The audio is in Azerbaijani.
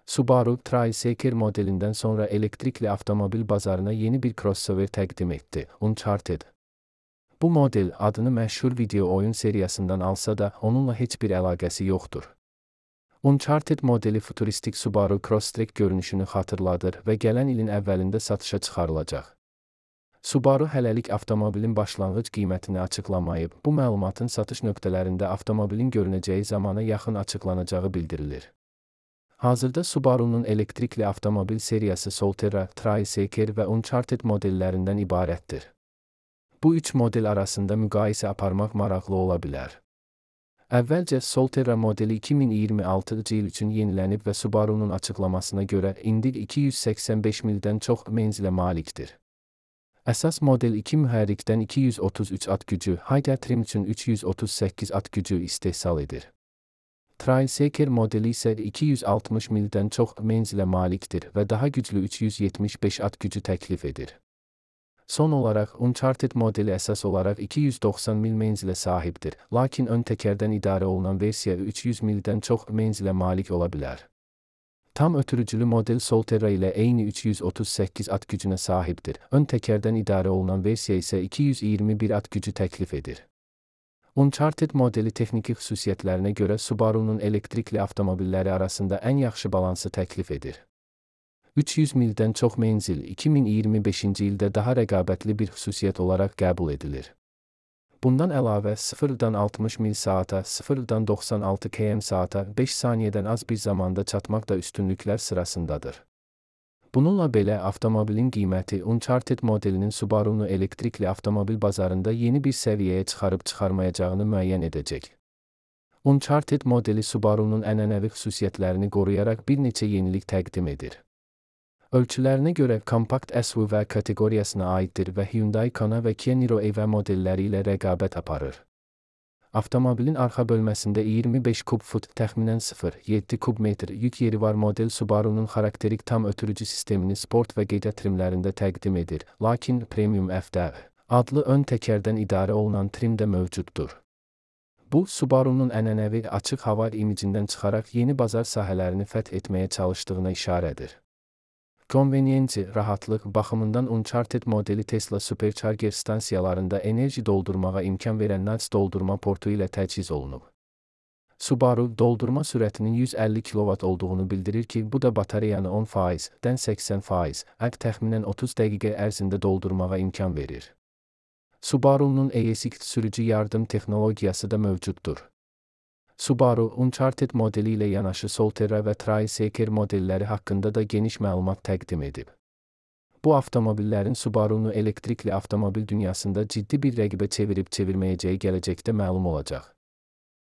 Subaru Tricycle modelinden sonra elektrikli avtomobil bazarına yeni bir crossover təqdim etdi, Uncharted. Bu model adını məşhur video oyun seriyasından alsa da onunla heç bir əlaqəsi yoxdur. Uncharted modeli futuristik Subaru Crosstrek görünüşünü xatırladır və gələn ilin əvvəlində satışa çıxarılacaq. Subaru hələlik avtomobilin başlanğıc qiymətini açıqlamayıb, bu məlumatın satış nöqtələrində avtomobilin görünəcəyi zamana yaxın açıqlanacağı bildirilir. Hazırda Subaru'nun elektrikli avtomobil seriyası Solterra, Tricycle və Uncharted modellərindən ibarətdir. Bu üç model arasında müqayisə aparmaq maraqlı ola bilər. Əvvəlcə Solterra modeli 2026-cı il üçün yenilənib və Subaru'nun açıqlamasına görə indi 285 mildən çox menzilə malikdir. Əsas model 2 mühərrikdən 233 at gücü, high trim üçün 338 at gücü istehsal edir. Tricycle modeli isə 260 mildən çox menzilə malikdir və daha güclü 375 at gücü təklif edir. Son olaraq Uncharted modeli əsas olaraq 290 mil menzilə sahibdir, lakin ön təkərdən idarə olunan versiya 300 mildən çox menzilə malik ola bilər. Tam ötürücülü model Solterra ilə eyni 338 at gücünə sahibdir, ön təkərdən idarə olunan versiya isə 221 at gücü təklif edir. Uncharted modeli texniki xüsusiyyətlərinə görə Subaru'nun elektrikli avtomobilləri arasında ən yaxşı balansı təklif edir. 300 mildən çox menzil 2025-ci ildə daha rəqabətli bir xüsusiyyət olaraq qəbul edilir. Bundan əlavə 0-dan 60 mil saata, 0-dan 96 km/saata 5 saniyədən az bir zamanda çatmaq da üstünlüklər sırasındadır. Bununla belə avtomobilin qiyməti Uncharted modelinin Subaru'nu elektrikli avtomobil bazarında yeni bir səviyyəyə çıxarıb-çıxarmayacağını müəyyən edəcək. Uncharted modeli Subaru'nun ənənəvi xüsusiyyətlərini qoruyaraq bir neçə yenilik təqdim edir. Ölçülərinə görə kompakt SUV kateqoriyasına aiddir və Hyundai Kona və Kia Niro EV modelləri ilə rəqabət aparır. Avtomobilin arxa bölməsində 25 kub fut, təxminən 0,7 kub metr yük yeri var. Model Subaru'nun xarakterik tam ötürücü sistemini sport və qeydə trimlərində təqdim edir, lakin Premium FD adlı ön təkərdən idarə olunan trim də mövcuddur. Bu, Subaru'nun ənənəvi açıq hava imicindən çıxaraq yeni bazar sahələrini fəth etməyə çalışdığına işarədir. Konveniyenci, rahatlıq baxımından Uncharted modeli Tesla Supercharger stansiyalarında enerji doldurmağa imkan verən NAS doldurma portu ilə təchiz olunub. Subaru, doldurma sürətinin 150 kW olduğunu bildirir ki, bu da batareyanı 10%-dən 80% təxminən 30 dəqiqə ərzində doldurmağa imkan verir. Subaru'nun ESX sürücü yardım texnologiyası da mövcuddur. Subaru, Uncharted modeli ilə yanaşı Solterra və Tricycle modelləri haqqında da geniş məlumat təqdim edib. Bu avtomobillərin Subaru'nu elektrikli avtomobil dünyasında ciddi bir rəqibə çevirib-çevirməyəcəyi gələcəkdə məlum olacaq.